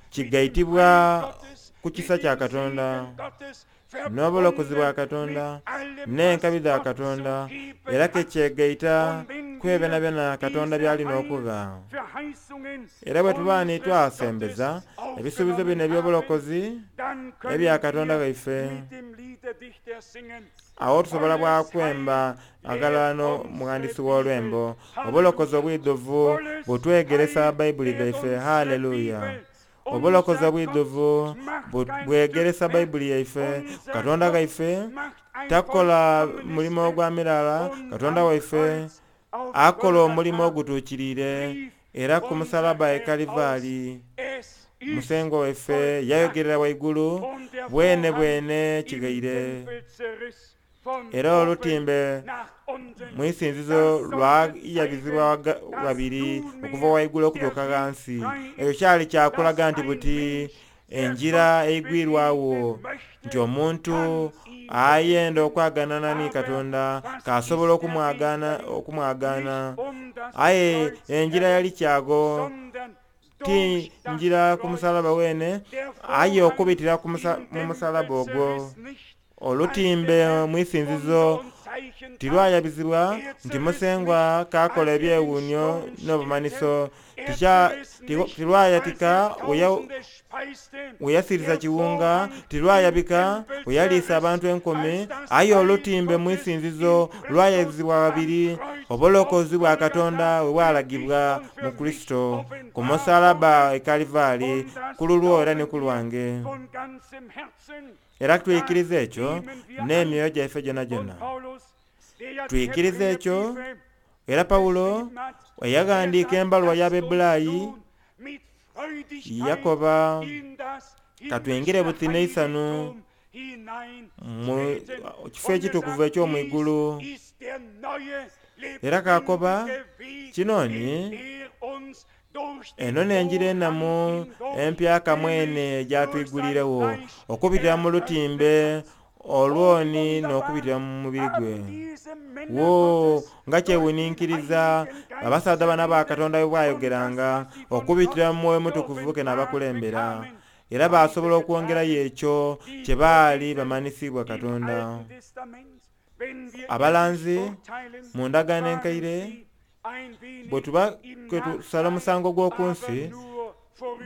kigaitibwa ku kisa kya Katonda n'obulokozi bwa Katonda n'enkabi dha Katonda, era kekyegaita ku ebyo byonabyona Katonda by'alina okugha. Era bwe tuba ni twasembeza ebisuubizo bino eby'obulokozi ebya Katonda waife, awo tusobola bwakwemba aghalala n'omughandisi w'olwembo, obulokozi obwidhuvu butwegeresa Bayibuli dhaife. Haleluya! Obulokozi obwidhuvu bwegeresa Bayibuli yaife. Katonda ghaife takola mulimo gwa mirala, Katonda waife akola omulimo ogutuukiriire. Era ku musalaba e Kalivaali Musengwa waife yayogerera waigulu bwene bwene kighaire. Era olutimbe mu isinzizo lwayabizibwa ghabiri okuva waigulu okutuuka ghansi. Ekyo kyali kyakulaga nti buti enjira eigwirwawo nti omuntu ayenda okwaganana ni Katonda kasobola okumwagana okumwagana, aye enjira yali kyago ti njira ku musalaba wene, aye okubitira mu musalaba ogwo. Olutimbe mu isinzizo tilwayabizibwa nti Musengwa kakola ebyewuunyo n'obumanhiso, tilwayatika we yasiriza kiwunga, tilwayabika we yaliisa abantu enkumi, aye olutimbe mu isinzizo lwayabizibwa babiri, obulokozi bwa Katonda bwe bwalagibwa mu Kurisito ku musalaba e Kalivaali ku lulwo era ni ku lwange. Era twikiriza ekyo n'emyoyo gyaife gyonagyona. Twikiriza ekyo. Era Pawulo eyaghandiika embaluwa y'Abaebbulaayi yakoba, katwingire buti n'eisanu mu kifo ekitukuvu eky'omwigulu. Era kakoba kinoni eno n'enjira enamu empyaka mwene gyatwigulirewo okubitira mu lutimbe olwoni n'okubitira mu mubiri gwe. Wo nga kyewuninkiriza abasaadha bano aba Katonda bwe bwayogeranga okubitira mu Mwoyo Mutukuvu ke n'abakulembera, era basobola okwongerayo ekyo kye baali bamanhisibwa Katonda. Abalanzi mu ndagaano enkaire bwe tuba tusala omusango gw'oku nsi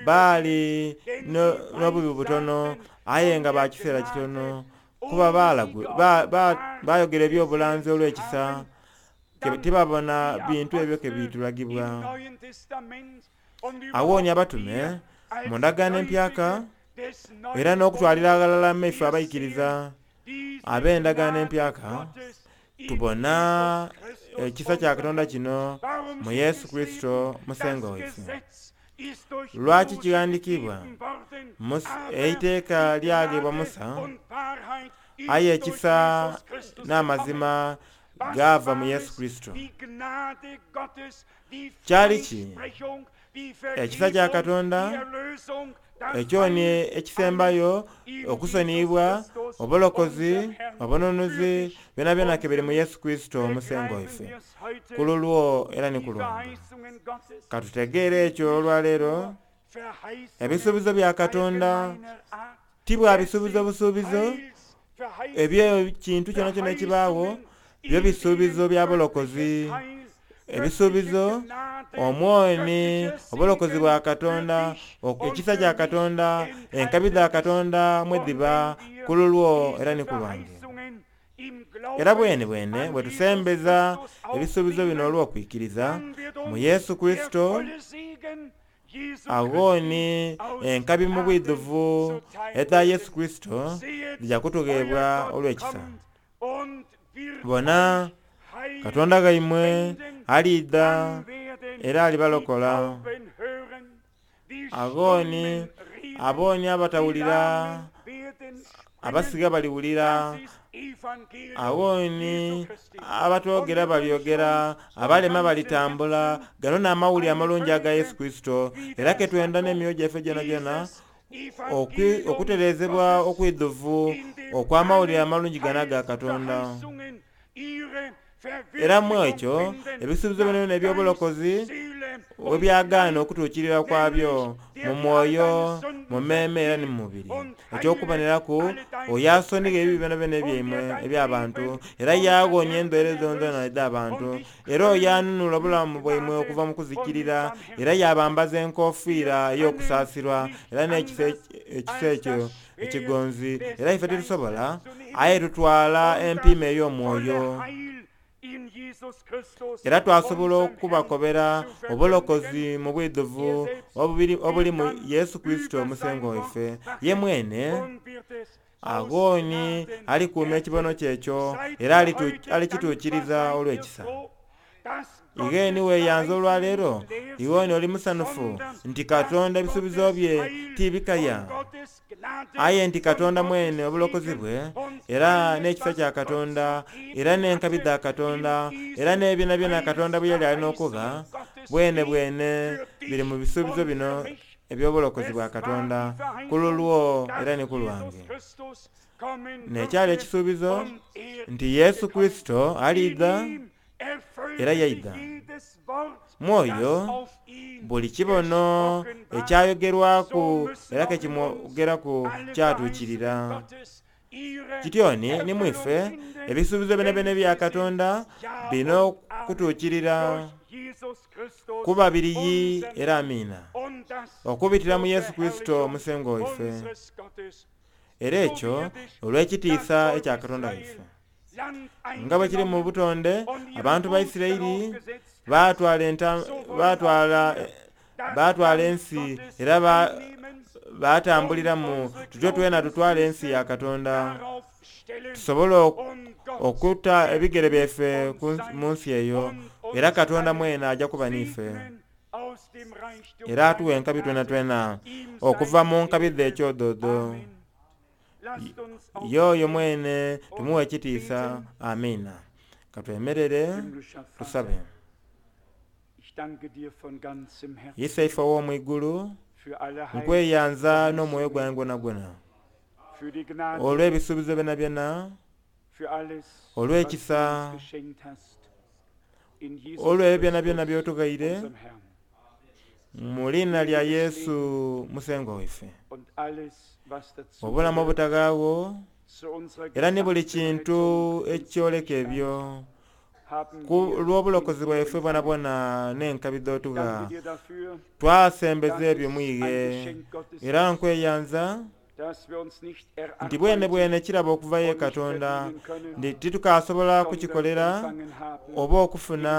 baali n'obubi butono, aye nga ba kiseera kitono, kuba bayogera eby'obulanzi olw'ekisa, tibabona bintu ebyo ke bitulagibwa. Awooni abatume mu ndagaano empyaka era n'okutwalira aghalala maife abaikiriza ab'endagaano empyaka, tubona ekisa kya Katonda kino mu Yesu Kurisito Musengwa waife. Lwaki kighandiikibwa eiteeka lyaghebwa Musa, aye ekisa n'amazima gava mu Yesu Kurisito. Kyali ki ekisa kya Katonda ekyoni ekisembayo okusoniyibwa, obulokozi, obununuzi, byonabyona kebiri mu Yesu Kurisito Musengwa waife, ku lulwo era ni ku lwange. Katutegeere ekyo olwaleero. Ebisuubizo bya Katonda ti bwa bisuubizo busuubizo ebyekintu kyonakyona ekibaawo, byo bisuubizo bya bulokozi. Ebisuubizo omwoni obulokozi bwa Katonda, ekisa kya Katonda, enkabi dha Katonda mwe dhiba ku lulwo era ni ku lwange. Era bwene bwene bwe tusembeza ebisuubizo bino olw'okwikiriza mu Yesu Kurisito, aghoni enkabi mu bwidhuvu edha Yesu Kurisito dhija kutugheebwa olw'ekisa. Bona, Katonda ghaimwe aliidha era alibalokola. Agoni aboni abatawulira abasiga baliwulira, agoni abatwogera balyogera, abalema balitambula. Gano n'amawulire amalungi aga Yesu Kristo, era ketwenda n'emyoyo gyaffe gyonagyona okutereezebwa okwidhuvu okw'amawulire amalungi gano aga Katonda. Era mu ekyo ebisuubizo bino byona eby'obulokozi webyagaana okutuukirira kwabyo mu mwoyo, mu mmeeme era ni mu mubiri. Eky'okuboneraku oyo asonigha ebibi byonabyona ebyaimwe eby'abantu, era yaghonya endwaire dhonadhona edh'abantu, era oyo anunula obulamu bwaimwe okuva mu kuzikirira, era yabambaza enkofiira ey'okusaasirwa era n'ekisa ekisa ekyo ekigonzi. Era ife titusobola, aye tutwala empiima ey'omwoyo, era twasobola okubakobera obulokozi mu bwidhuvu obuli mu Yesu Kristo omusengo waife. Ye mwene agoni alikuuma ekibono kye ekyo era alikituukiriza olw'ekisa. Igheni weeyanza olwaleero, ighoni oli musanufu nti Katonda ebisuubizo bye tibikaya, aye nti Katonda mwene obulokozi bwe era n'ekisa kya Katonda era n'enkabi dha Katonda era n'ebyonabyona Katonda bwe yali alina okuba bwene bwene biri mu bisuubizo bino eby'obulokozi bwa Katonda ku lulwo era ni ku lwange. N'ekyali ekisuubizo nti Yesu Kristo aliidha era yaidha. Mwoyo buli kibono ekyayogerwaku era kekimwogeraku kyatuukirira. Kityoni ni mwife ebisuubizo byonabyona ebya Katonda birina okutuukirira kuba biriyi era amiina, okubitira mu Yesu Kristo omusengo waife. Era ekyo olw'ekitiisa ekya Katonda waife. Nga bwe kiri mu butonde, abantu ba Isiraeli batwala batwala batwala ensi era batambuliramu. Tutyo twena tutwala ensi ya Katonda, tusobole okuta ebigere byaife mu nsi eyo, era Katonda mwene ajja kuba n'ife, era atuwa enkabi twena twena okuva mu nkabi dhe ekyodoodo. Yoyo mwene tumuwe ekitiisa. Amiina. Katwemerere tusabe. Iseife ow'omwigulu, nkweyanza n'omwoyo gwange gwonagwona olw'ebisuubizo byonabyona, olw'ekisa, olw'ebyo byonabyona by'otughaire mu linnya lya Yesu musengo waife. Obulamu obutaghaagho era ni buli kintu ekyoleka ebyo ku lw'obulokozi bwaife bwonabwona n'enkabi dh'otugha, twasembeza ebyo mwighe. Era nkweyanza nti bwene bwene kirabo okuva ye Katonda, nti titukasobola kukikolera oba okufuna,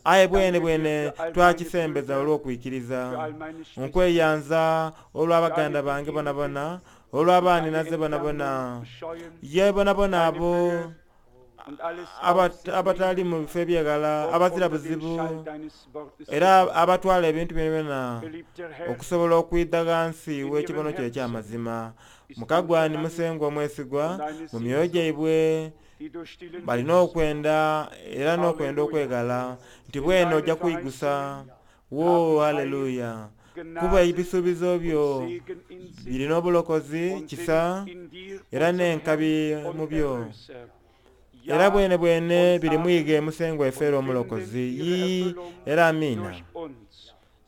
aye bwene bwene twakisembeza olw'okwikiriza. Nkweyanza olw'abaganda bange bonabona, olw'abaaninaze bonabona, ye bonabona abo abatali mu bifo ebyeghala, abazira buzibu, era abatwala ebintu byonabyona okusobola okwidha ghansi w'ekibono kye eky'amazima. Mukagwani musengwa omwesigwa mu myoyo gyaibwe balina okwenda era n'okwenda okweghala nti bwene ojja kwigusa. Wo haleluya! Kuba ebisuubizo byo birina obulokozi, kisa era n'enkabi mu byo, era bwene bwene biri mwige musengwa waife era omulokozi. Yii era amiina.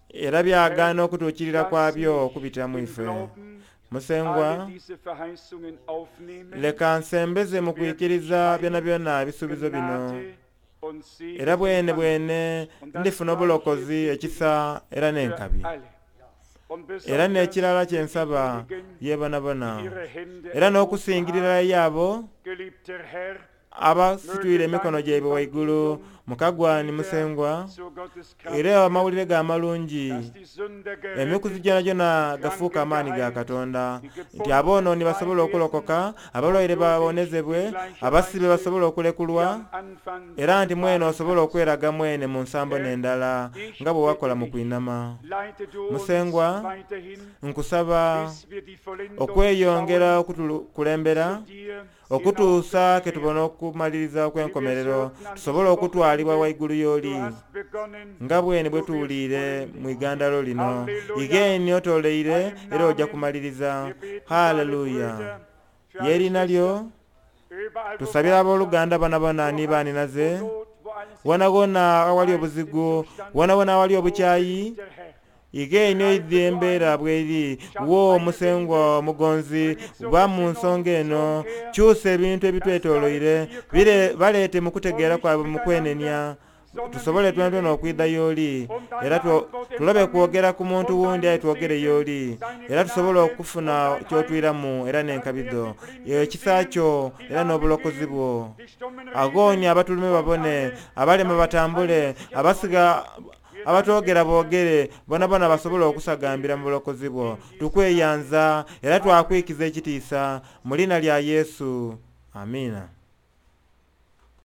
Era byagaana okutuukirira kwabyo okubitira mu ife. Musengwa, leka nsembeze mu kwikiriza byonabyona ebisuubizo bino, era bwene bwene ndifuna obulokozi, ekisa era n'enkabi. Era n'ekirala kye nsaba ye bonabona, era n'okusingirira yaabo Abasitwire emikono gyaibwe waigulu mukagwani Musengwa, era amawulire ga amalungi emikuzi gyonagyona gafuuka amaani ga Katonda, nti aboonooni basobole okulokoka, abalwaire babonezebwe, abasibe basobole okulekulwa, era nti mwene osobola okweraga mwene mu nsambo n'endala nga bwe wakola mu kwinama. Musengwa, nkusaba okweyongera okutukulembera okutuusa ke tubona okumaliriza okw'enkomerero, tusobole okutwalibwa waigulu y'oli nga bwene bwe tuwuliire mu igandalo lino. Igeni otoleire era ojja kumaliriza. Haleluya. Yerina lyo tusabira abooluganda bonabona ni baninaze wonawona awali obuzigu, wonawona awali obukyayi, igeni oidhi embeera bweri wo Musengwa omugonzi ba mu nsonga eno, kyusa ebintu ebitwetoloire bire baleete mu kutegeera kwabwe mu kwenenya, tusobole twenatwena okwidha y'oli, era tulobe kwogera ku muntu wundi aye twogere y'oli, era tusobole okufuna kyotwiramu era n'enkabido ekisa kyo era n'obulokozi bwo. Agooni abatulume babone, abalema batambule, abasiga abatwogera boogere, bonabona basobole okusagambira mu bulokozi bwo. Tukweyanza era twakwikiza ekitiisa mu lina lya Yesu. Amiina.